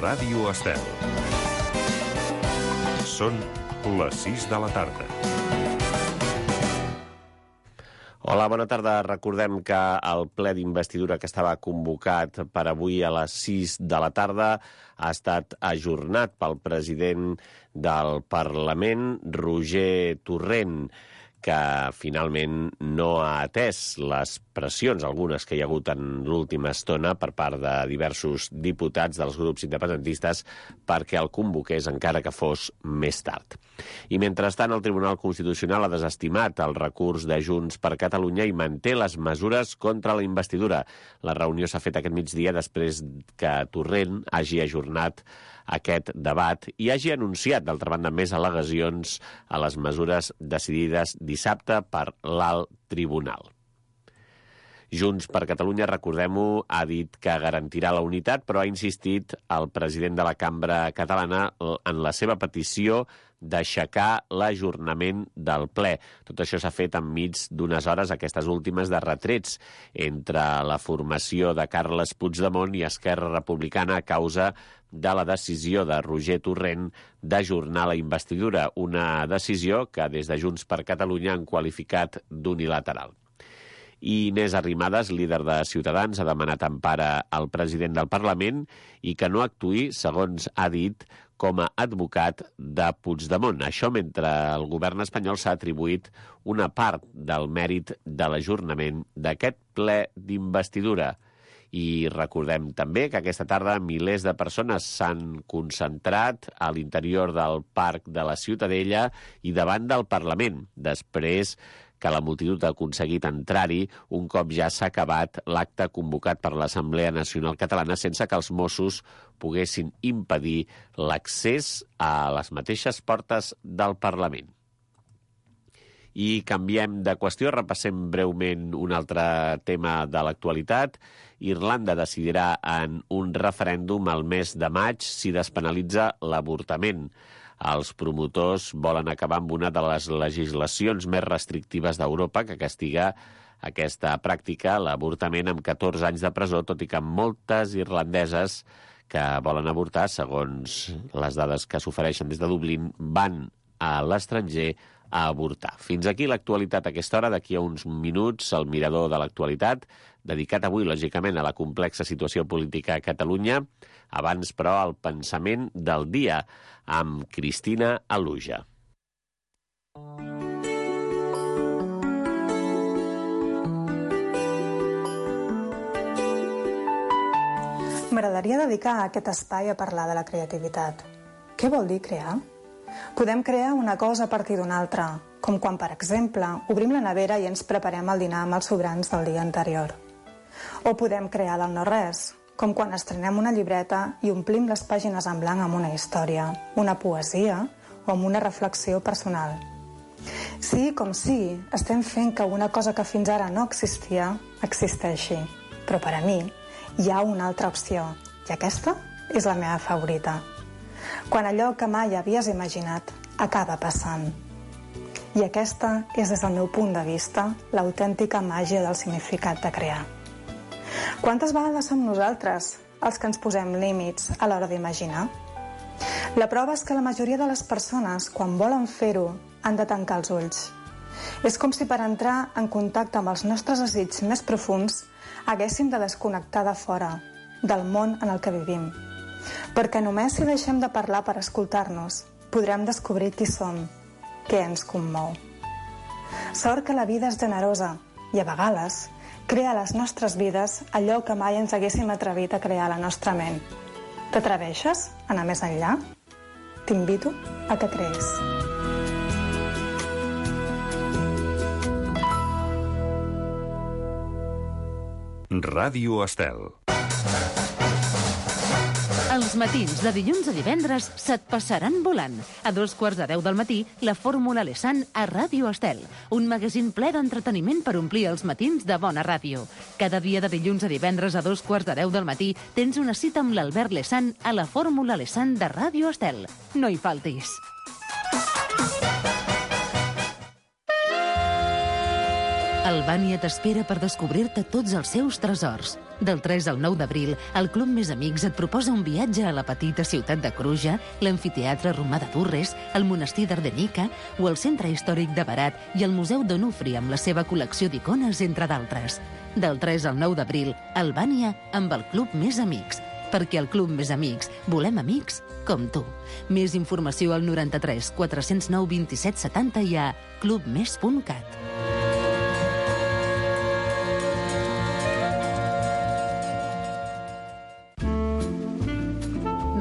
Ràdio Estel. Són les 6 de la tarda. Hola, bona tarda. Recordem que el ple d'investidura que estava convocat per avui a les 6 de la tarda ha estat ajornat pel president del Parlament, Roger Torrent, que finalment no ha atès les pressions, algunes que hi ha hagut en l'última estona per part de diversos diputats dels grups independentistes perquè el convoqués encara que fos més tard. I mentrestant el Tribunal Constitucional ha desestimat el recurs de Junts per Catalunya i manté les mesures contra la investidura. La reunió s'ha fet aquest migdia després que Torrent hagi ajornat aquest debat i hagi anunciat, d'altra banda, més al·legacions a les mesures decidides dissabte per l'Alt Tribunal. Junts per Catalunya, recordem-ho, ha dit que garantirà la unitat, però ha insistit el president de la Cambra Catalana en la seva petició d'aixecar l'ajornament del ple. Tot això s'ha fet enmig d'unes hores, aquestes últimes, de retrets entre la formació de Carles Puigdemont i Esquerra Republicana a causa de la decisió de Roger Torrent d'ajornar la investidura, una decisió que des de Junts per Catalunya han qualificat d'unilateral. I Inés Arrimadas, líder de Ciutadans, ha demanat empara al president del Parlament i que no actuï, segons ha dit, com a advocat de Puigdemont. Això mentre el govern espanyol s'ha atribuït una part del mèrit de l'ajornament d'aquest ple d'investidura. I recordem també que aquesta tarda milers de persones s'han concentrat a l'interior del Parc de la Ciutadella i davant del Parlament, després que la multitud ha aconseguit entrar-hi un cop ja s'ha acabat l'acte convocat per l'Assemblea Nacional Catalana sense que els Mossos poguessin impedir l'accés a les mateixes portes del Parlament. I canviem de qüestió, repassem breument un altre tema de l'actualitat. Irlanda decidirà en un referèndum al mes de maig si despenalitza l'avortament. Els promotors volen acabar amb una de les legislacions més restrictives d'Europa que castiga aquesta pràctica, l'avortament, amb 14 anys de presó, tot i que moltes irlandeses que volen avortar, segons les dades que s'ofereixen des de Dublín, van a l'estranger a avortar. Fins aquí l'actualitat a aquesta hora. D'aquí a uns minuts, el mirador de l'actualitat, dedicat avui, lògicament, a la complexa situació política a Catalunya. Abans, però, el pensament del dia amb Cristina Aluja. M'agradaria dedicar aquest espai a parlar de la creativitat. Què vol dir crear? Podem crear una cosa a partir d'una altra, com quan, per exemple, obrim la nevera i ens preparem el dinar amb els sobrants del dia anterior. O podem crear del no-res, com quan estrenem una llibreta i omplim les pàgines en blanc amb una història, una poesia o amb una reflexió personal. Sí, com sí, estem fent que una cosa que fins ara no existia, existeixi. Però per a mi hi ha una altra opció, i aquesta és la meva favorita. Quan allò que mai havies imaginat acaba passant. I aquesta és, des del meu punt de vista, l'autèntica màgia del significat de crear. Quantes vegades som nosaltres els que ens posem límits a l'hora d'imaginar? La prova és que la majoria de les persones, quan volen fer-ho, han de tancar els ulls. És com si per entrar en contacte amb els nostres desitjos més profuns haguéssim de desconnectar de fora, del món en el que vivim. Perquè només si deixem de parlar per escoltar-nos, podrem descobrir qui som, què ens commou. Sort que la vida és generosa i, a vegades, crea a les nostres vides allò que mai ens haguéssim atrevit a crear a la nostra ment. T'atreveixes a anar més enllà? T'invito a que crees. Ràdio Estel. Els matins de dilluns a divendres se't passaran volant. A 2:15 del matí, la Fórmula Lesan a Ràdio Estel. Un magazín ple d'entreteniment per omplir els matins de bona ràdio. Cada dia de dilluns a divendres a 2:15 del matí tens una cita amb l'Albert Lesan a la Fórmula Lesan de Ràdio Estel. No hi faltis. Albània t'espera per descobrir-te tots els seus tresors. Del 3 al 9 d'abril, el Club Més Amics et proposa un viatge a la petita ciutat de Cruja, l'amfiteatre romà de Durres, el monestir d'Ardenica o el centre històric de Berat i el Museu d'Onufri amb la seva col·lecció d'icones, entre d'altres. Del 3 al 9 d'abril, Albània amb el Club Més Amics. Perquè al Club Més Amics volem amics com tu. Més informació al 93 409 27 70 i a clubmes.cat.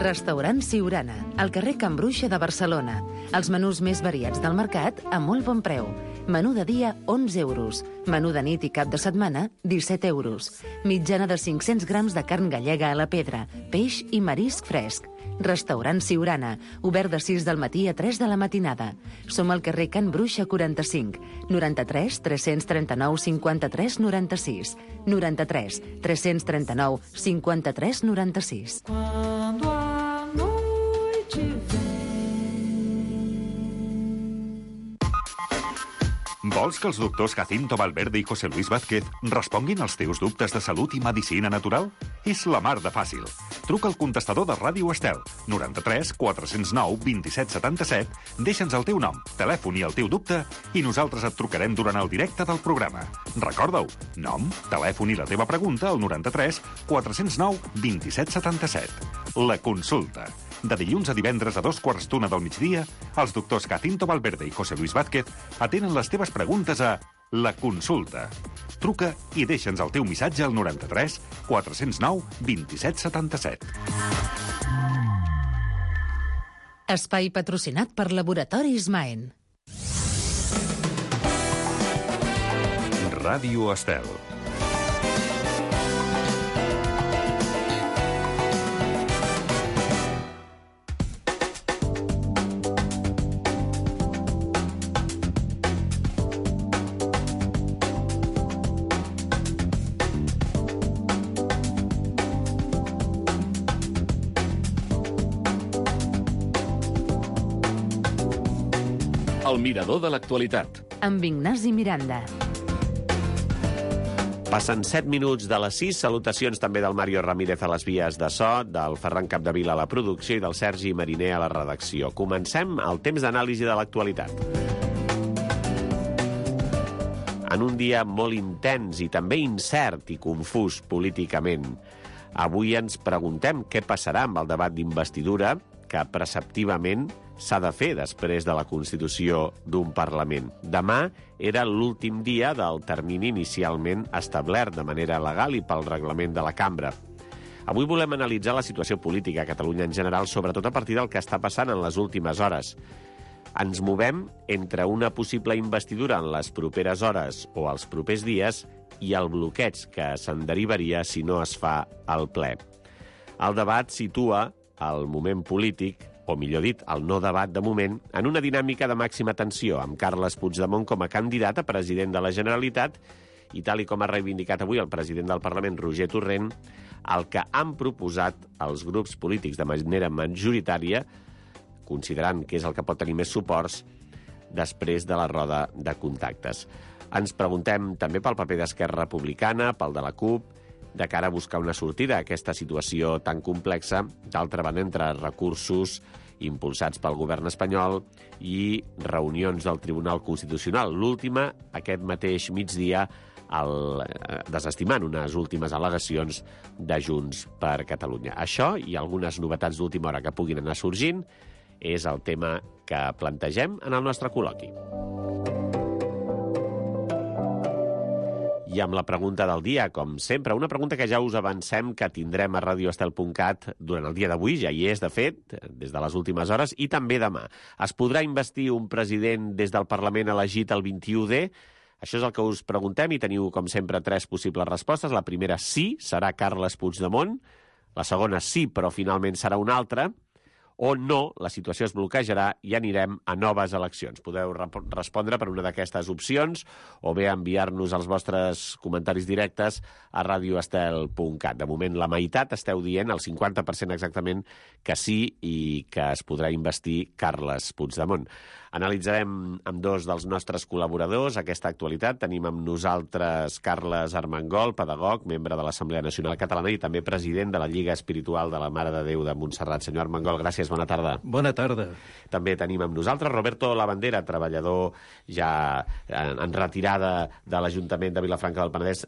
Restaurant Siurana, al carrer Can Bruixa de Barcelona. Els menús més variats del mercat a molt bon preu. Menú de dia, 11 euros. Menú de nit i cap de setmana, 17 euros. Mitjana de 500 grams de carn gallega a la pedra, peix i marisc fresc. Restaurant Siurana, obert de 6 del matí a 3 de la matinada. Som al carrer Can Bruixa 45, 93 339 53 96, 93 339 53 96. Quando a noite vem. Vols que els doctors Jacinto Valverde i José Luis Vázquez responguin als teus dubtes de salut i medicina natural? És la mar de fàcil. Truca al contestador de Ràdio Estel, 93 409 27 77, deixa'ns el teu nom, telèfon i el teu dubte i nosaltres et trucarem durant el directe del programa. Recorda-ho, nom, telèfon i la teva pregunta al 93 409 27 77. La consulta. De dilluns a divendres a 2:15 del migdia, els doctors Jacinto Valverde i José Luis Vázquez atenen les teves preguntes a La Consulta. Truca i deixa'ns el teu missatge al 93 409 27 77. Espai patrocinat per Laboratoris Maen. Ràdio Estel. El mirador de l'actualitat. Amb Ignasi Miranda. Passen 7 minuts de les 6. Salutacions també del Mario Ramírez a les vies de so, del Ferran Capdevila a la producció i del Sergi Mariner a la redacció. Comencem el temps d'anàlisi de l'actualitat. En un dia molt intens i també incert i confús políticament, avui ens preguntem què passarà amb el debat d'investidura que preceptivament s'ha de fer després de la constitució d'un Parlament. Demà era l'últim dia del termini inicialment establert de manera legal i pel reglament de la cambra. Avui volem analitzar la situació política a Catalunya en general, sobretot a partir del que està passant en les últimes hores. Ens movem entre una possible investidura en les properes hores o els propers dies i el bloqueig que se'n derivaria si no es fa el ple. El debat situa el moment polític, o millor dit, el no debat de moment, en una dinàmica de màxima tensió, amb Carles Puigdemont com a candidat a president de la Generalitat i, tal i com ha reivindicat avui el president del Parlament, Roger Torrent, el que han proposat els grups polítics de manera majoritària, considerant que és el que pot tenir més suports després de la roda de contactes. Ens preguntem també pel paper d'Esquerra Republicana, pel de la CUP, de cara a buscar una sortida a aquesta situació tan complexa, d'altra banda entre recursos impulsats pel govern espanyol i reunions del Tribunal Constitucional. L'última, aquest mateix migdia, desestimant unes últimes al·legacions de Junts per Catalunya. Això i algunes novetats d'última hora que puguin anar sorgint és el tema que plantegem en el nostre col·loqui. I amb la pregunta del dia, com sempre, una pregunta que ja us avancem que tindrem a radioestel.cat durant el dia d'avui, ja hi és, de fet, des de les últimes hores, i també demà. Es podrà investir un president des del Parlament elegit el 21D? Això és el que us preguntem i teniu, com sempre, 3 possibles respostes. La primera, sí, serà Carles Puigdemont. La segona, sí, però finalment serà un altre. O no, la situació es bloquejarà i anirem a noves eleccions. Podeu respondre per una d'aquestes opcions o bé enviar-nos els vostres comentaris directes a radioestel.cat. De moment, la meitat esteu dient, el 50% exactament, que sí i que es podrà investir Carles Puigdemont. Analitzarem amb dos dels nostres col·laboradors aquesta actualitat. Tenim amb nosaltres Carles Armengol, pedagog, membre de l'Assemblea Nacional Catalana i també president de la Lliga Espiritual de la Mare de Déu de Montserrat. Senyor Armengol, gràcies, bona tarda. Bona tarda. També tenim amb nosaltres Roberto Labandera, treballador ja en retirada de l'Ajuntament de Vilafranca del Penedès,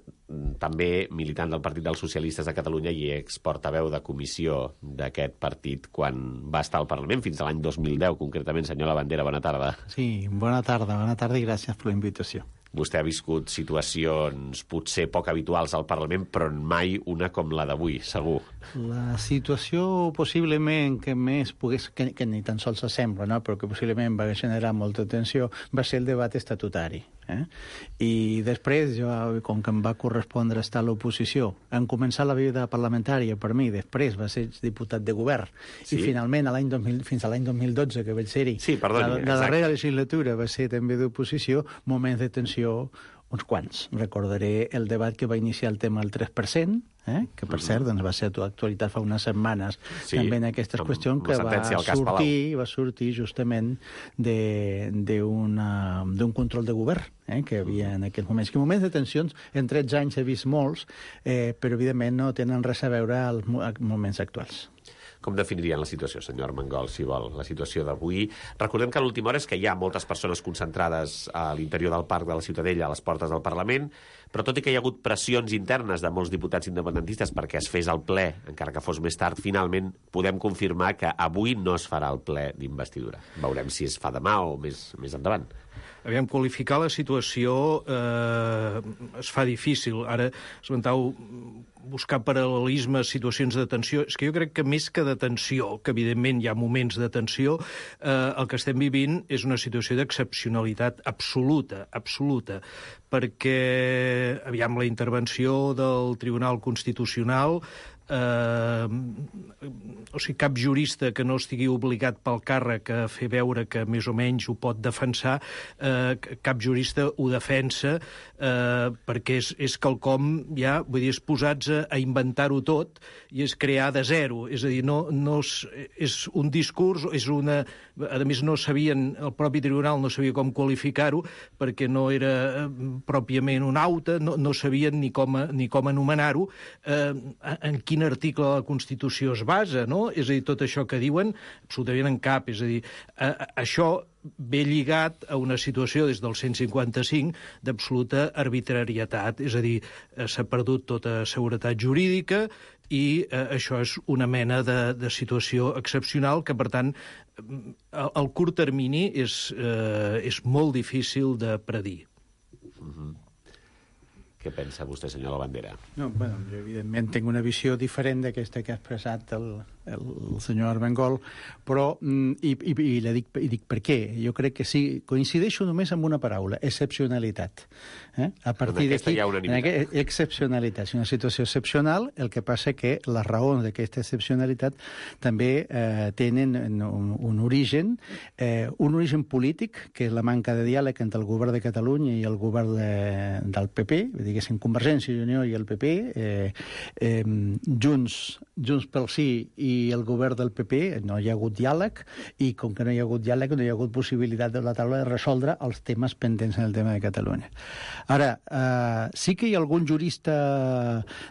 també militant del Partit dels Socialistes de Catalunya i exportaveu de comissió d'aquest partit quan va estar al Parlament, fins a l'any 2010, concretament. Senyor Labandera, bona tarda. Sí, bona tarda i gràcies per la invitació. Vostè ha viscut situacions potser poc habituals al Parlament, però mai una com la d'avui, segur. La situació possiblement que més pogués, que ni tan sols s'assembla, no? Però que possiblement va generar molta tensió, va ser el debat estatutari. I després, jo, com que em va correspondre estar a l'oposició, en començar la vida parlamentària per mi, després va ser diputat de govern, i finalment fins a l'any 2012, que vaig ser-hi, la darrera legislatura va ser també d'oposició, moments de tensió uns quants. Recordaré el debat que va iniciar el tema del 3%, que per cert doncs, va ser actualitat fa unes setmanes també en aquestes qüestions, que va sortir justament d'un control de govern que hi havia en aquells moments. Que moments de tensions, en 13 anys he vist molts, però evidentment no tenen res a veure als moments actuals. Com definirien la situació, senyor Armengol, si vol, la situació d'avui? Recordem que a l'última hora és que hi ha moltes persones concentrades a l'interior del Parc de la Ciutadella, a les portes del Parlament, però tot i que hi ha hagut pressions internes de molts diputats independentistes perquè es fes el ple, encara que fos més tard, finalment podem confirmar que avui no es farà el ple d'investidura. Veurem si es fa demà o més endavant. Aviam, qualificar la situació es fa difícil. Ara esmentau buscar paral·lelismes, situacions de tensió. És que jo crec que més que de tensió, que evidentment hi ha moments de tensió, el que estem vivint és una situació d'excepcionalitat absoluta, perquè, aviam, la intervenció del Tribunal Constitucional, o sigui, cap jurista que no estigui obligat pel càrrec a fer veure que més o menys ho pot defensar, cap jurista ho defensa, perquè és quelcom ja, vull dir, és posats a inventar-ho tot i és crear de zero. És a dir, no és un discurs, és una... A més, no sabien, el propi tribunal no sabia com qualificar-ho, perquè no era pròpiament un auto, no sabien ni com anomenar-ho, en quin article de la Constitució es basa, no? És a dir, tot això que diuen, absolutament en cap. És a dir, això ve lligat a una situació des del 155 d'absoluta arbitrarietat. És a dir, s'ha perdut tota seguretat jurídica i això és una mena de situació excepcional que, per tant, al curt termini és molt difícil de predir. Què pensa vostè, senyor Labandera? No, bueno, jo evidentment tinc una visió diferent d'aquesta que ha expressat el senyor Armengol, però, i dic per què? Jo crec que sí, coincideixo només amb una paraula, excepcionalitat. A partir d'aquí, excepcionalitat. És una situació excepcional, el que passa que les raons d'aquesta excepcionalitat també tenen un origen polític, que és la manca de diàleg entre el govern de Catalunya i el govern del PP, diguéssim, Convergència i Unió i el PP, Junts pel Sí i el govern del PP, no hi ha hagut diàleg, i com que no hi ha hagut diàleg, no hi ha hagut possibilitat de la taula de resoldre els temes pendents en el tema de Catalunya. Ara, sí que hi ha algun jurista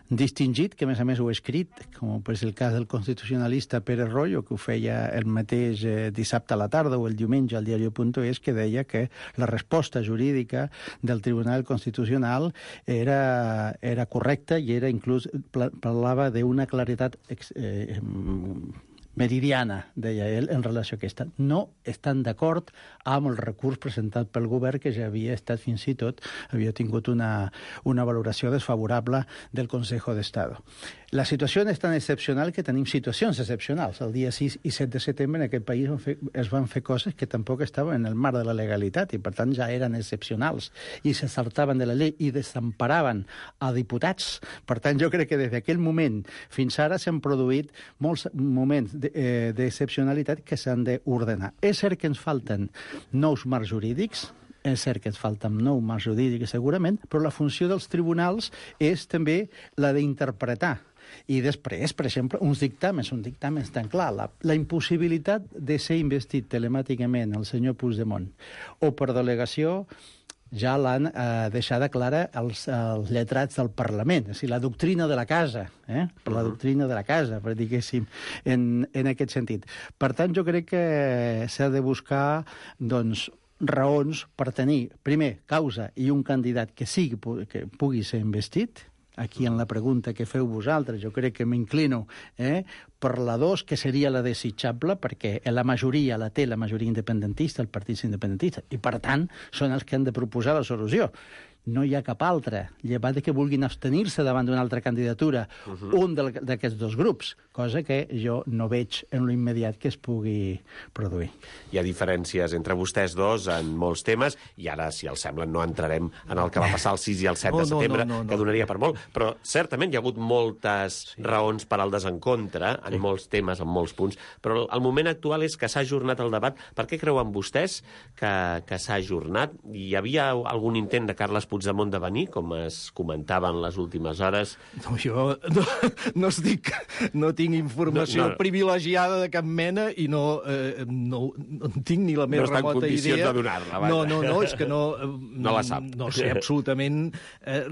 distingit, que a més ho ha escrit, com és el cas del constitucionalista Pérez Royo, que ho feia el mateix dissabte a la tarda o el diumenge al diario.es, que deia que la resposta jurídica del Tribunal Constitucional era correcta i era inclús parlava d'una claretat meridiana, deia ell, en relació a aquesta. No estan d'acord amb el recurs presentat pel govern, que ja havia estat fins i tot, havia tingut una valoració desfavorable del Consejo de Estado. La situació és tan excepcional que tenim situacions excepcionals. El dia 6 i 7 de setembre en aquest país es van fer coses que tampoc estaven en el marc de la legalitat i, per tant, ja eren excepcionals i se saltaven de la llei i desemparaven a diputats. Per tant, jo crec que des d'aquell moment fins ara s'han produït molts moments d'excepcionalitat que s'han d'ordenar. És cert que ens falten nous marcs jurídics, és cert que ens falten nous marcs jurídics segurament, però la funció dels tribunals és també la d'interpretar I després, per exemple, uns dictàmens tan clar. La impossibilitat de ser investit telemàticament el senyor Puigdemont o per delegació ja l'han deixada clara els lletrats del Parlament. És a dir, la doctrina de la casa, per la doctrina de la casa, per diguéssim, en aquest sentit. Per tant, jo crec que s'ha de buscar, doncs, raons per tenir, primer, causa i un candidat que pugui ser investit. Aquí en la pregunta que feu vosaltres, jo crec que m'inclino per la 2, que seria la desitjable, perquè la majoria la té la majoria independentista, el partit independentista, i per tant són els que han de proposar la solució. No hi ha cap altra, llevat de que vulguin abstenir-se davant d'una altra candidatura, un d'aquests dos grups, cosa que jo no veig en l'immediat que es pugui produir. Hi ha diferències entre vostès dos en molts temes, i ara, si els sembla, no entrarem en el que va passar el 6 i el 7 de setembre, que donaria per molt, però certament hi ha hagut moltes raons per al desencontre en molts temes, en molts punts, però el moment actual és que s'ha ajornat el debat. Per què creuen vostès que s'ha ajornat? Hi havia algun intent de Carles Puigdemont de venir, com es comentava en les últimes hores? No, jo no tinc informació privilegiada de cap mena i no tinc ni la més remota idea. No està en condicions de donar-la, vaja. No, és que no la sap. No sé absolutament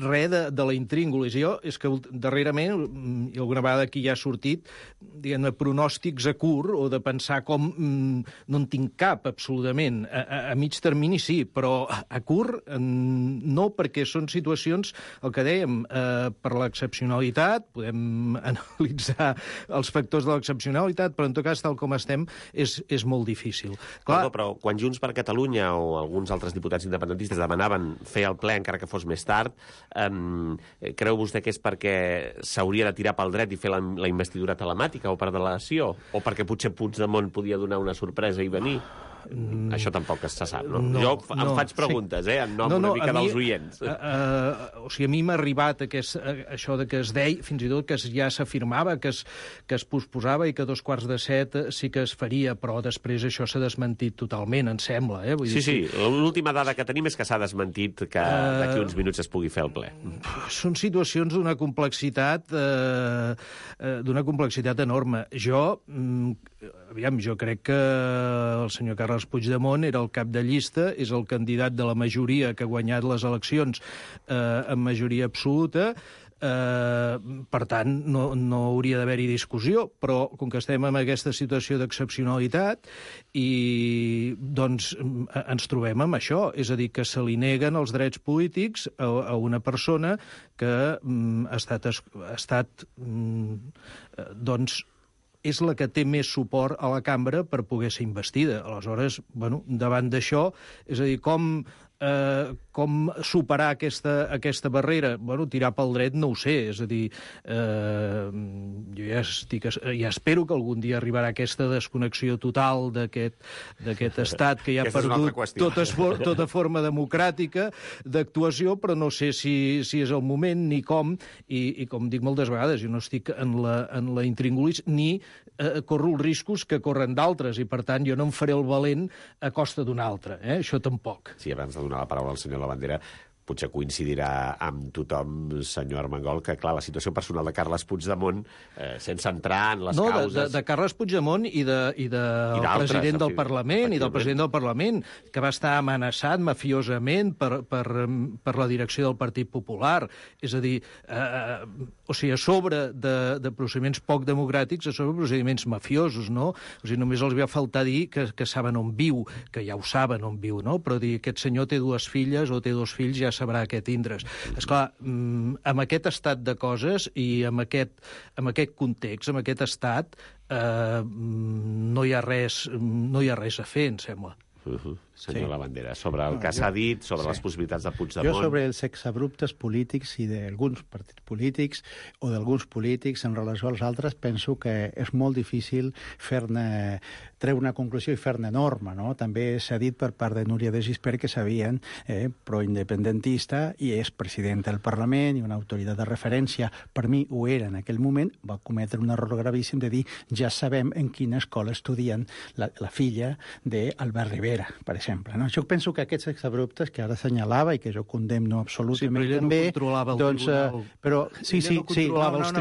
res de la intríngulis. Jo, és que darrerament, i alguna vegada aquí ja ha sortit, diguem-ne, pronòstics a curt, o de pensar com no en tinc cap, absolutament. A mig termini sí, però a curt no, perquè són situacions, el que dèiem, per l'excepcionalitat, podem analitzar els factors de l'excepcionalitat, però en tot cas, tal com estem, és molt difícil. Clar, però quan Junts per Catalunya o alguns altres diputats independentistes demanaven fer el ple encara que fos més tard, creu vostè que és perquè s'hauria de tirar pel dret i fer la investidura telemàtica o per delegació? O perquè potser Puigdemont podia donar una sorpresa i venir? Això tampoc se sap, no? Jo em faig preguntes, en nom una mica dels oients. O sigui, a mi m'ha arribat això de que es deia, fins i tot que ja s'afirmava que es posposava i que a 6:45 sí que es faria, però després això s'ha desmentit totalment, em sembla. Sí, l'última dada que tenim és que s'ha desmentit que d'aquí uns minuts es pugui fer el ple. Són situacions d'una complexitat enorme. Jo crec que el senyor Carles Puigdemont era el cap de llista, és el candidat de la majoria que ha guanyat les eleccions en majoria absoluta. Per tant, no hauria d'haver-hi discussió, però com que estem en aquesta situació d'excepcionalitat i doncs ens trobem amb això, és a dir, que se li neguen els drets polítics a una persona que ha estat doncs és la que té més suport a la cambra per poder ser investida. Aleshores, davant d'això, és a dir, com superar aquesta barrera? Tirar pel dret no ho sé, és a dir, jo ja espero que algun dia arribarà aquesta desconnexió total d'aquest estat que ja ha perdut tota forma democràtica d'actuació, però no sé si és el moment ni com, i com dic moltes vegades, jo no estic en la intríngulis ni corro els riscos que corren d'altres, i per tant jo no em faré el valent a costa d'un altre, això tampoc. Sí, abans de donar la paraula al senyor Labandera, potser coincidirà amb tothom, senyor Armengol, que, clar, la situació personal de Carles Puigdemont, sense entrar en les causes... De Carles Puigdemont i del president del Parlament, que va estar amenaçat mafiosament per la direcció del Partit Popular. És a dir, a sobre de procediments poc democràtics, a sobre procediments mafiosos, no? O sigui, només els va faltar dir que saben on viu, que ja ho saben on viu, no? Però dir que aquest senyor té dues filles o té dos fills ja sabrà què tindre's. Esclar, amb aquest estat de coses i amb aquest context, amb aquest estat, no hi ha res a fer, em sembla. Senyor Labandera, sobre el que s'ha dit, sobre les possibilitats de Puigdemont... Jo sobre els exabruptes polítics i d'alguns partits polítics o d'alguns polítics en relació als altres, penso que és molt difícil treure una conclusió i fer-ne norma, no? També s'ha dit per part de Núria de Gispert que sabien pro-independentista i és president del Parlament i una autoritat de referència. Per mi ho era en aquell moment, va cometre un error gravíssim de dir ja sabem en quina escola estudien la filla d'Albert Rivera, per exemple. No? Jo penso que aquests exabruptes que ara assenyalava i que jo condemno absolutament sí, però ella també... no controlava el tribunal. Però, sí,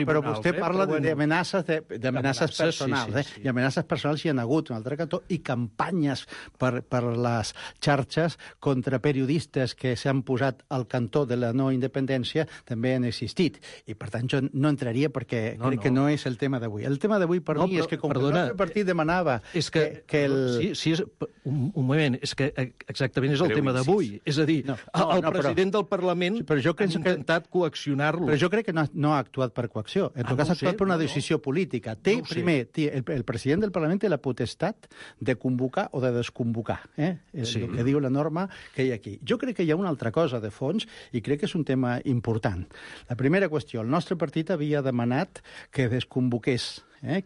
però vostè parla d'amenaces personals. Sí. I amenaces personals hi ha hagut un altre cantó i campanyes per les xarxes contra periodistes que s'han posat al cantó de la no independència també han existit. I, per tant, jo no entraria perquè crec que no és el tema d'avui. El tema d'avui per mi és que com el nostre partit demanava que el... Sí, un moment, és que exactament és el tema d'avui. És a dir, el president del Parlament ha intentat coaccionar-lo. Però jo crec que no ha actuat per coacció. En tot cas, ha actuat per una decisió política. El president del Parlament té la potestat de convocar o de desconvocar. El que diu la norma que hi ha aquí. Jo crec que hi ha una altra cosa de fons i crec que és un tema important. La primera qüestió, el nostre partit havia demanat que desconvoqués,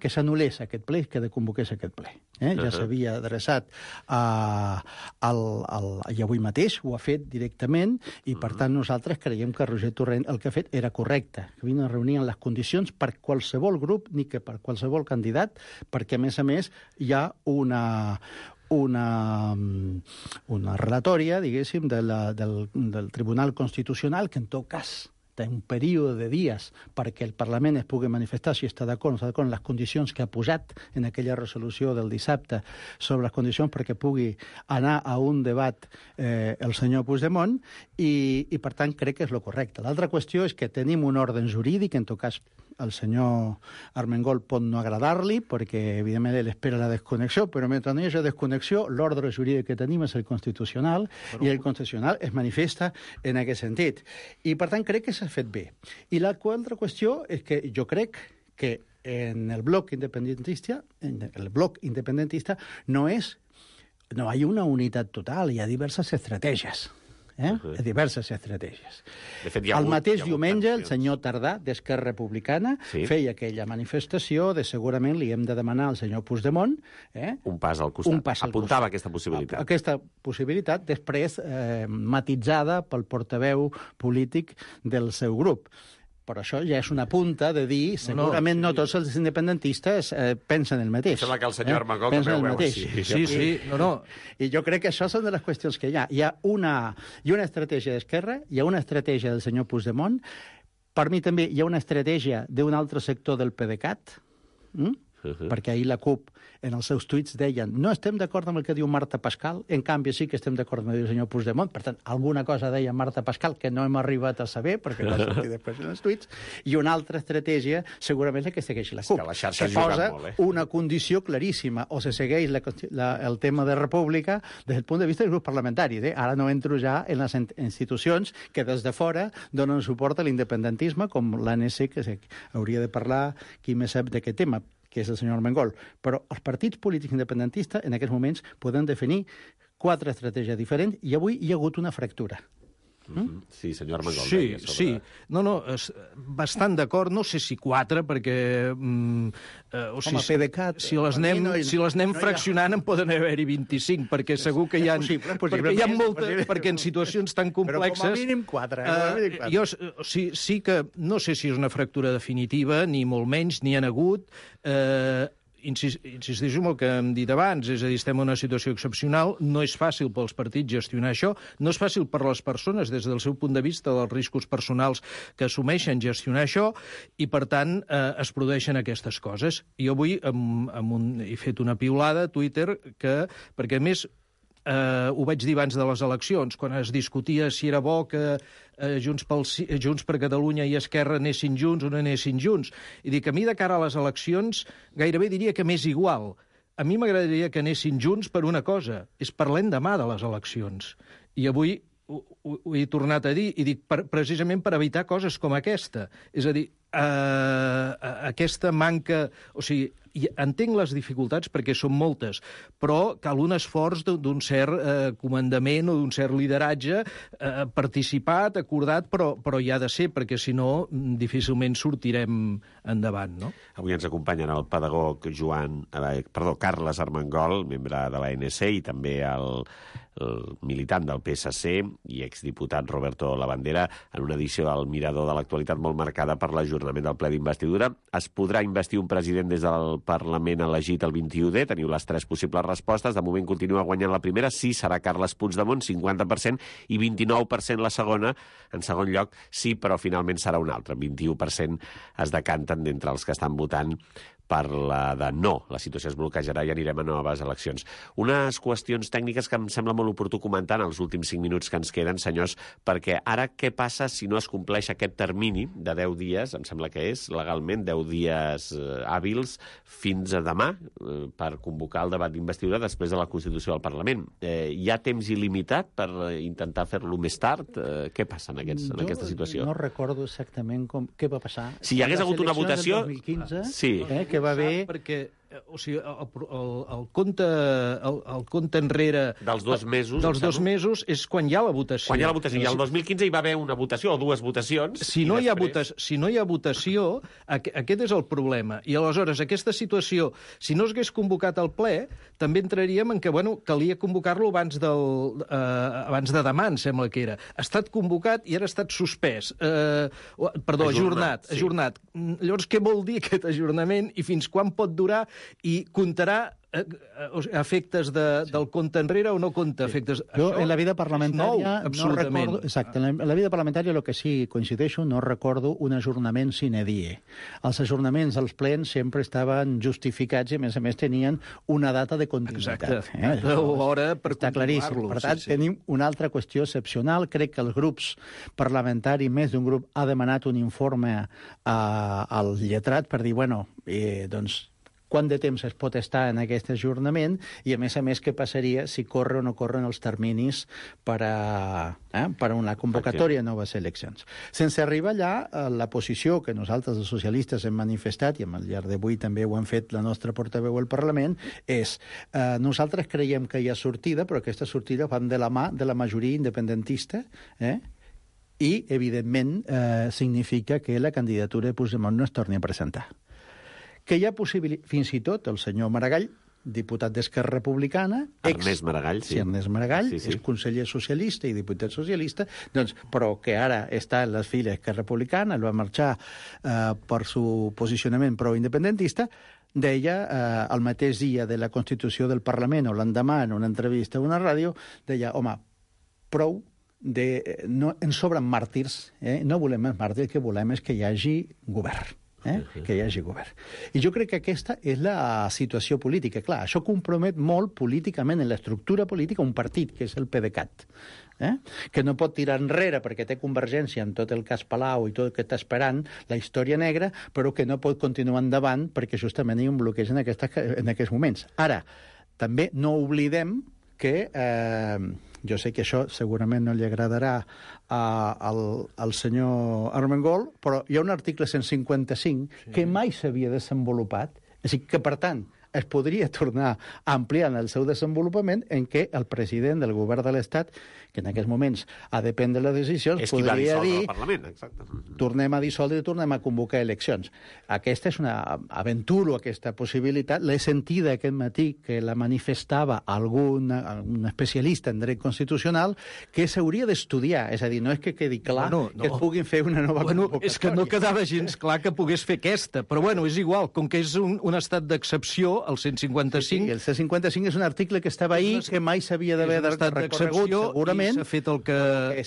que s'anul·lés aquest ple, que desconvoqués aquest ple. Ja s'havia adreçat i avui mateix ho ha fet directament i, per tant, nosaltres creiem que Roger Torrent el que ha fet era correcte, que havien de reunir en les condicions per qualsevol grup ni que per qualsevol candidat, perquè, a més, hi ha una relatòria, diguéssim, del Tribunal Constitucional que, en tot cas, té un període de dies perquè el Parlament es pugui manifestar si està d'acord o no està d'acord en les condicions que ha posat en aquella resolució del dissabte sobre les condicions perquè pugui anar a un debat el senyor Puigdemont i per tant, crec que és el correcte. L'altra qüestió és que tenim un ordre jurídic, en tot cas al senyor Armengol pot no agradar-li, perquè, evidentment, ell espera la desconnexió, però mentre no hi hagi desconnexió, l'ordre jurídic que tenim és el constitucional, i el constitucional es manifesta en aquest sentit. I, per tant, crec que s'ha fet bé. I l'altra qüestió és que jo crec que en el bloc independentista, no hi ha una unitat total, hi ha diverses estratègies. Diverses estratègies. De fet, el mateix diumenge, el senyor Tardà, d'Esquerra Republicana, feia aquella manifestació de segurament li hem de demanar al senyor Puigdemont un pas al costat. Apuntava aquesta possibilitat. Aquesta possibilitat, després matitzada pel portaveu polític del seu grup. Però això ja és una punta de dir segurament no tots els independentistes pensen el mateix. Sembla que el senyor Armengol també ho veu així. Sí. I jo crec que això són de les qüestions que hi ha. Hi ha una estratègia d'Esquerra, hi ha una estratègia del senyor Puigdemont, per mi també hi ha una estratègia d'un altre sector del PDeCAT, perquè ahir la CUP en els seus tuits deien no estem d'acord amb el que diu Marta Pascal, en canvi sí que estem d'acord amb el que diu el senyor Puigdemont, per tant, alguna cosa deia Marta Pascal que no hem arribat a saber, perquè va sortir després en els tuits, i una altra estratègia segurament és la que segueix la CUP, que posa una condició claríssima, o se segueix el tema de república des del punt de vista dels grups parlamentaris. Ara no entro ja en les institucions que des de fora donen suport a l'independentisme, com l'ANC, que hauria de parlar qui més sap d'aquest tema, que és el senyor Armengol. Però els partits polítics independentistes en aquests moments poden definir 4 estratègies diferents i avui hi ha hagut una fractura. Sí, senyor Armengol. Sí. No, bastant d'acord, no sé si 4, perquè... PDeCAT... Si les anem fraccionant en poden haver-hi 25, perquè segur que hi ha... Perquè hi ha moltes... Perquè en situacions tan complexes... Però com a mínim 4. Jo sí que no sé si és una fractura definitiva, ni molt menys, ni han hagut... Insisteixo en el que hem dit abans, és a dir, estem en una situació excepcional, no és fàcil pels partits gestionar això, no és fàcil per les persones, des del seu punt de vista, dels riscos personals que assumeixen gestionar això, i, per tant, es produeixen aquestes coses. Jo avui he fet una piulada a Twitter perquè, a més, ho vaig dir abans de les eleccions, quan es discutia si era bo que Junts per Catalunya i Esquerra anessin junts o no anessin junts. I dic, a mi, de cara a les eleccions, gairebé diria que m'és igual. A mi m'agradaria que anessin junts per una cosa, és per l'endemà de les eleccions. I avui ho he tornat a dir, i dic precisament per evitar coses com aquesta. És a dir, aquesta manca... O sigui, entenc les dificultats perquè són moltes, però cal un esforç d'un cert comandament o d'un cert lideratge participat, acordat, però hi ha de ser, perquè si no difícilment sortirem endavant, no? Avui ens acompanyen el pedagog Carles Armengol, membre de l'ANC, i també el militant del PSC i exdiputat Roberto Labandera, en una edició del Mirador de l'actualitat molt marcada per l'ajornament del ple d'investidura. Es podrà investir un president des del Parlament elegit el 21D. Teniu les 3 possibles respostes. De moment continua guanyant la primera. Sí, serà Carles Puigdemont, 50%, i 29% la segona. En segon lloc, sí, però finalment serà un altre. 21% es decanten d'entre els que estan votant per la de no. La situació es bloquejarà i anirem a noves eleccions. Unes qüestions tècniques que em sembla molt oportú comentar en els últims 5 minuts que ens queden, senyors, perquè ara què passa si no es compleix aquest termini de 10 dies, em sembla que és legalment 10 dies hàbils fins a demà per convocar el debat d'investidura després de la Constitució del Parlament. Hi ha temps il·limitat per intentar fer-lo més tard? Què passa en aquesta situació? No recordo exactament què va passar. Si hi hagués hagut una votació... 2015, sí. Que va haver... Perquè, o sigui, el compte enrere... Dels 2 mesos. Dels 2 mesos és quan hi ha la votació. Quan hi ha la votació. I el 2015 hi va haver una votació o 2 votacions. Si no hi ha votació, aquest és el problema. I aleshores, aquesta situació, si no s'hagués convocat el ple, també entraríem en que, calia convocar-lo abans de demà, em sembla que era. Ha estat convocat i ara ha estat suspès. Ajornat. Llavors, què vol dir aquest ajornament i fins quan pot durar i comptarà efectes del compte enrere o no compta efectes... Jo, en la vida parlamentària, no recordo... Exacte, en la vida parlamentària el que sí coincideixo, no recordo un ajornament sine die. Els ajornaments als plens sempre estaven justificats i, a més, tenien una data de continuïtat. Exacte. Hora per està claríssim. Per tant, tenim una altra qüestió excepcional. Crec que els grups parlamentaris, més d'un grup, ha demanat un informe al lletrat per dir, doncs, quant de temps es pot estar en aquest ajornament i, a més, què passaria si corre o no corren els terminis per a una convocatòria de noves eleccions. Sense arribar allà, la posició que nosaltres, els socialistes, hem manifestat, i al llarg d'avui també ho hem fet la nostra portaveu al Parlament, és nosaltres creiem que hi ha sortida, però aquesta sortida va de la mà de la majoria independentista, i, evidentment, significa que la candidatura de Puigdemont no es torni a presentar. Que hi ha possibilitat, fins i tot el senyor Maragall, diputat d'Esquerra Republicana... Ernest Maragall, sí. Sí, Ernest Maragall, és conseller socialista i diputat socialista, però que ara està en les files d'Esquerra Republicana, va marxar per su posicionament pro-independentista, deia, el mateix dia de la Constitució del Parlament, o l'endemà, en una entrevista a una ràdio, deia, home, prou, ens sobren màrtirs, no volem més màrtirs, el que volem és que hi hagi govern. Que hi hagi govern. I jo crec que aquesta és la situació política. Clar, això compromet molt políticament en l'estructura política un partit, que és el PDeCAT, que no pot tirar enrere perquè té Convergència en tot el cas Palau i tot el que està esperant, la història negra, però que no pot continuar endavant perquè justament hi ha un bloqueig en aquests moments. Ara, també no oblidem que... jo sé que això segurament no li agradarà al senyor Armengol, però hi ha un article 155 que mai s'havia desenvolupat, és a dir, que, per tant, es podria tornar a ampliar en el seu desenvolupament en què el president del govern de l'Estat, que en aquests moments ha de prendre les decisions, podria dir tornem a dissoldre i tornem a convocar eleccions. Aquesta és una aventura, aquesta possibilitat. L'he sentida aquest matí que la manifestava un especialista en dret constitucional que s'hauria d'estudiar. És a dir, no és que quedi clar que es puguin fer una nova convocatòria. És que no quedava gens clar que pogués fer aquesta, però és igual, com que és un estat d'excepció, el 155... Sí, el 155 és un article que estava ahir, que mai s'havia d'haver recorregut, segurament. S'ha fet el que...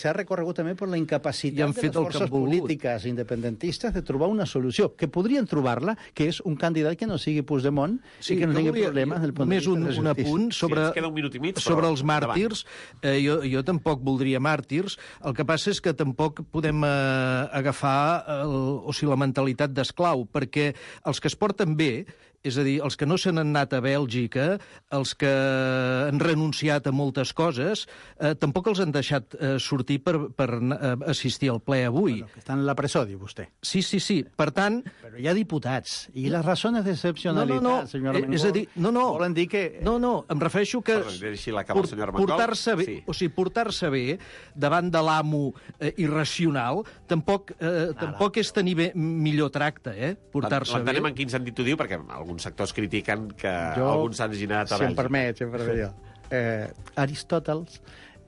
S'ha recorregut també per la incapacitat de les forces polítiques independentistes de trobar una solució, que podrien trobar-la, que és un candidat que no sigui Puigdemont i que no tingui problemes del punt de vista de la justícia. Un apunt sobre els màrtirs. Jo tampoc voldria màrtirs. El que passa és que tampoc podem agafar la mentalitat d'esclau, perquè els que es porten bé, és a dir, els que no se n'han anat a Bèlgica, els que han renunciat a moltes coses, tampoc els han deixat sortir per assistir al ple avui. Que estan en la presó, diu vostè. Sí. Per tant... Però hi ha diputats. I les razones d'excepcionalitat, senyor Armengol, és a dir, volen dir que... No, em refereixo que portar-se bé davant de l'amo irracional tampoc és tenir millor tracte, portar-se bé. L'entenem en quin sentit ho diu, perquè alguns sectors critiquen que alguns han girat a Bèlgica. Si em permet, Aristòteles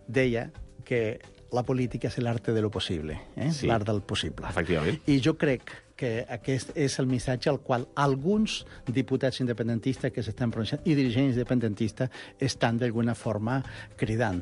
deia que la política és l'arte de lo possible, Sí. l'art del possible. Efectivament. I jo crec que aquest és el missatge al qual alguns diputats independentistes que s'estan pronunciant i dirigents independentistes estan d'alguna forma cridant.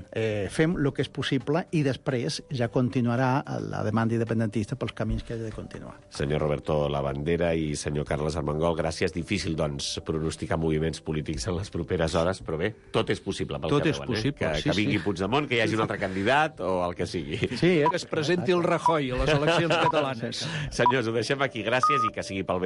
Fem el que és possible i després ja continuarà la demanda independentista pels camins que ha de continuar. Senyor Roberto Labandera i senyor Carles Armengol, gràcies. Difícil, doncs, pronosticar moviments polítics en les properes hores, però bé, tot és possible pel Tot que és veuen, possible, que vingui Puigdemont, que hi hagi un altre candidat o el que sigui. Sí, Que es presenti el Rajoy a les eleccions catalanes. Senyors, ho deixem aquí. Gràcies i que sigui pel bé